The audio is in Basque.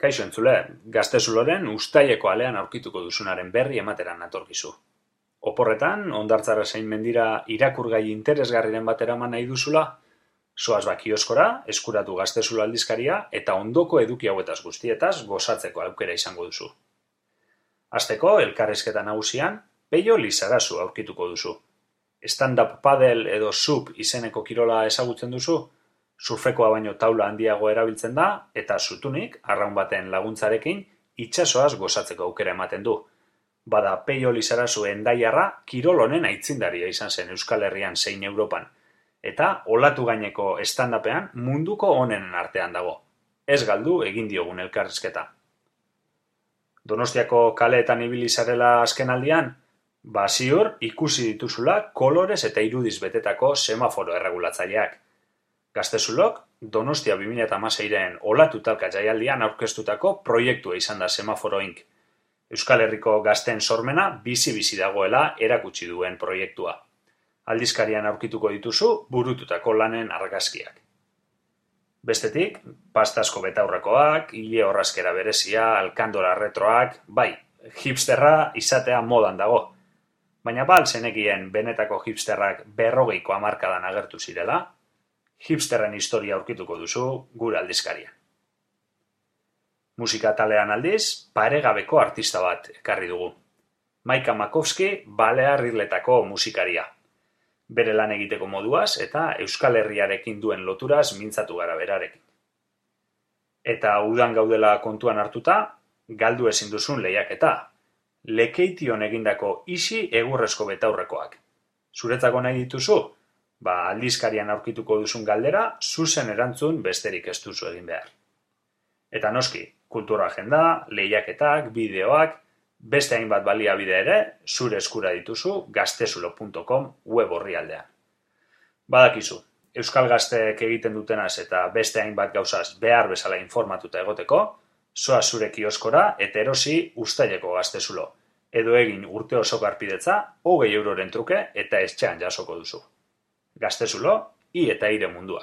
Kaixo entzule, Gaztezuloren uztaileko alean aurkituko duzunaren berri emateran natorkizu. Oporretan, hondartzara zein mendira irakurgai interesgarriren bat eraman nahi duzula, zoaz kioskora, eskuratu Gaztezulo aldizkaria eta ondoko eduki hauetaz guztietaz gozatzeko aukera izango duzu. Hasteko, elkarrizketa nagusian, Peio Lizarazu aurkituko duzu. Stand-up paddle edo sup izeneko kirola ezagutzen duzu? Surfekoa baino taula handiago erabiltzen da, eta zutunik, arraun baten laguntzarekin, itsasoaz gozatzeko aukera ematen du. Bada Peio Lizarazu Hendaiarra kirol honen aitzindaria izan zen Euskal Herrian zein Europan. Eta olatu gaineko stand-upean munduko onenen artean dago. Ez galdu egin diogun elkarrizketa. Donostiako kaleetan ibili zarela azkenaldian? Ziur ikusi dituzula kolorez eta irudiz betetako semaforo erregulatzaileak. Gaztezulok, Donostia 2016ren olatu talka jaialdian aurkeztutako proiektua izan da Semaforo Inc. Euskal Herriko gazteen sormena bizi-bizi dagoela erakutsi duen proiektua. Aldizkarian aurkituko dituzu burututako lanen argazkiak. Bestetik, pastazko betaurrekoak, ile horrazkera berezia, alkandora retroak, bai, hipsterra izatea modan dago. Baina bal zenekien benetako hipsterrak 40ko hamarkadan agertu zirela, hipsterren historia aurkituko duzu gure aldizkarian. Musika talean aldiz, paregabeko artista bat ekarri dugu. Maika Makovski Balear Irletako musikaria. Bere lan egiteko moduaz eta Euskal Herriarekin duen loturaz mintzatu gara berarekin. Eta udan gaudela kontuan hartuta, galdu ezin duzun lehiaketa. Lekeition egindako isi egurrezko betaurrekoak. Zuretzako nahi dituzu? Aldizkarian aurkituko duzun galdera, zuzen erantzun besterik ez duzu egin behar. Eta noski, kultura agenda, lehiaketak, bideoak, beste hainbat baliabide ere, zure eskura dituzu gaztezulo.com web orrialdean. Badakizu, Euskal Gazteek egiten dutenaz eta beste hainbat gauzaz behar bezala informatuta egoteko, zoaz zure kioskora eta erosi uztaileko Gaztezulo, edo egin urte osoko arpidetza 20 euroren truke eta etxean jasoko duzu. Gaztezulo, i eta ire mundua.